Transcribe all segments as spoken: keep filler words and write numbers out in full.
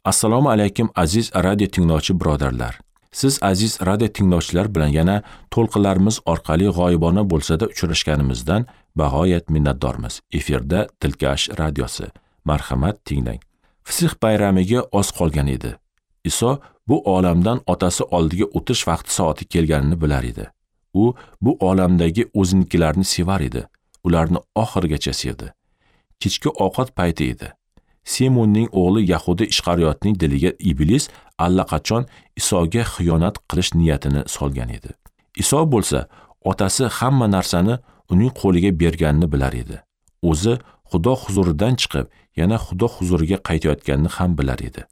Assalomu alaykum aziz radio tinglovchi birodarlar. Siz aziz radio tinglovchilar bilan yana to'lqinlarimiz orqali g'oyibona bo'lsa-da uchrashganimizdan bag'oyat minnatdormiz. Efirda Dilkash radiosi. Marhamat tinglang. Fisih bayramiga oz qolgan edi. Iso bu olamdan otasi oldiga o'tish vaqti soati kelganini bilar edi. U bu olamdagi o'zinikilarni sevar edi. Ularni oxirigacha sevdi. Kechki ovqat payti edi. Simonning o'g'li Yahuda Ishqariyotning diliga Iblis allaqachon Isoga xiyonat qilish niyatini solgan edi. Iso bo'lsa, otasi hamma narsani uning qo'liga berganini bilar edi. O'zi Xudo huzuridan chiqib, yana Xudo huzuriga qaytayotganini ham bilar edi.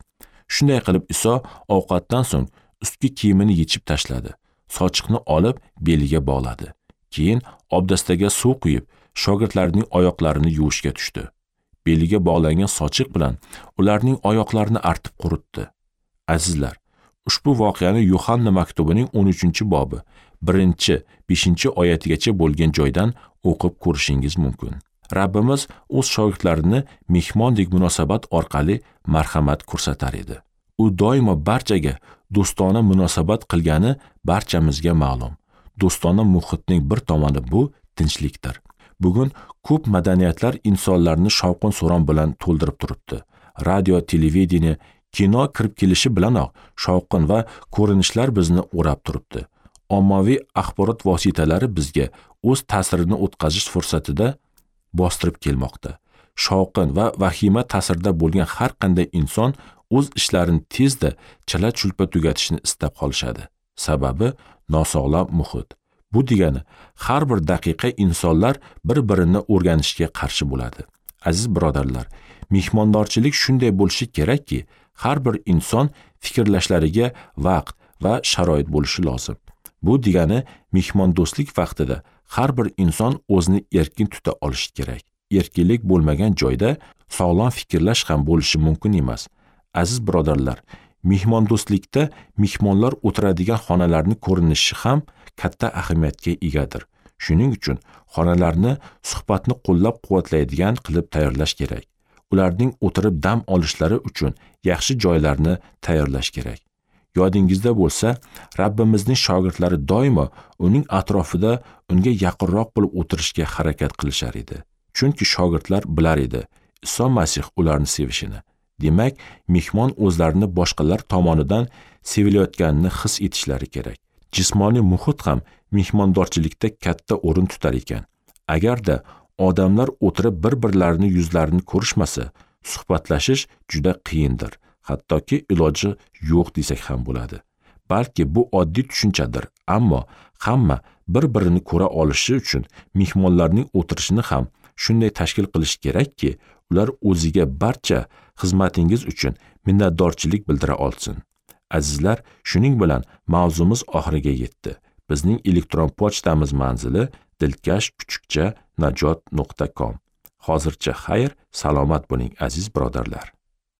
Shunday qilib Iso ovqatdan so'ng ustki kiyimini yechib tashladi. Sochiqni olib beliga bog'ladi. Keyin obdastaga suv quyib, shogirdlarining oyoqlarini yuvishga tushdi. Beliga bog'langan sochiq bilan ularning oyoqlarini artib quritdi. Azizlar, ushbu voqeani Yuhanna maktubining o'n uchinchi bobi birinchi beshinchi oyatigacha bo'lgan joydan o'qib ko'rishingiz mumkin. Rabbimiz o'z shogirdlarini mehmondek munosabat orqali marhamat ko'rsatar edi. U doimo barchaga do'stona munosabat qilgani barchamizga ma'lum. Do'stona muhitning bir tomoni bu tinchlikdir. Bugun ko'p madaniyatlar insonlarni shovqin-suron bilan to'ldirib turibdi. Radio, televideniye, kino kirib kelishi bilanoq shovqin va ko'rinishlar bizni o'rab turibdi. Ommaviy axborot vositalari bizga o'z ta'sirini o'tkazish fursatida bostirib kelmoqda. Shovqin va vahima ta'sirida bo'lgan har qanday inson o'z ishlarini tezda chala-chulpa tugatishni istab qolishadi. Sababi nosog'lom muhit. Bu degani har bir daqiqa insonlar bir-birini o'rganishga qarshi bo'ladi. Aziz birodarlar, mehmondorchilik shunday bo'lishi kerakki, har bir inson fikrlashlariga vaqt va sharoit bo'lishi lozim. Bu degani mehmondo'stlik vaqtida har bir inson o'zini erkin tuta olishi kerak. Erkinlik bo'lmagan joyda sog'lom fikrlash ham bo'lishi mumkin emas. Aziz birodarlar, mehmondo'stlikda mehmonlar o'tiradigan xonalarning ko'rinishi ham katta ahamiyatga egadir. Shuning uchun xonalarni suhbatni qo'llab-quvvatlaydigan qilib tayyorlash kerak. Ularning o'tirib dam olishlari uchun yaxshi joylarni tayyorlash kerak. Yodingizda bo'lsa, Rabbimizning shogirdlari doimo uning atrofida unga yaqinroq bo'lib o'tirishga harakat qilishar edi. Chunki shogirdlar bilar edi Iso Masih ularni sevishini. Demak, mehmon o'zlarini boshqalar tomonidan sevilayotganini his etishlari kerak. Jismoniy muhit ham mehmondorchilikda katta o'rin tutar ekan. Agarda odamlar o'tirib bir-birlarini yuzlarini ko'rishmasa, suhbatlashish juda qiyindir. Hattoki iloji yo'q desak ham bo'ladi. Balki bu oddiy tushunchadir, ammo hamma bir-birini ko'ra olishi uchun mehmonlarning o'tirishini ham shunday tashkil qilish kerakki, ular o'ziga barcha xizmatingiz uchun minnatdorchilik bildira olsin. Azizlar, shuning bilan mavzumiz oxiriga yetdi. Bizning elektron pochtamiz manzili dilkash kuchukcha najot nuqta com. Hozircha xayr, salomat bo'ling aziz birodarlar.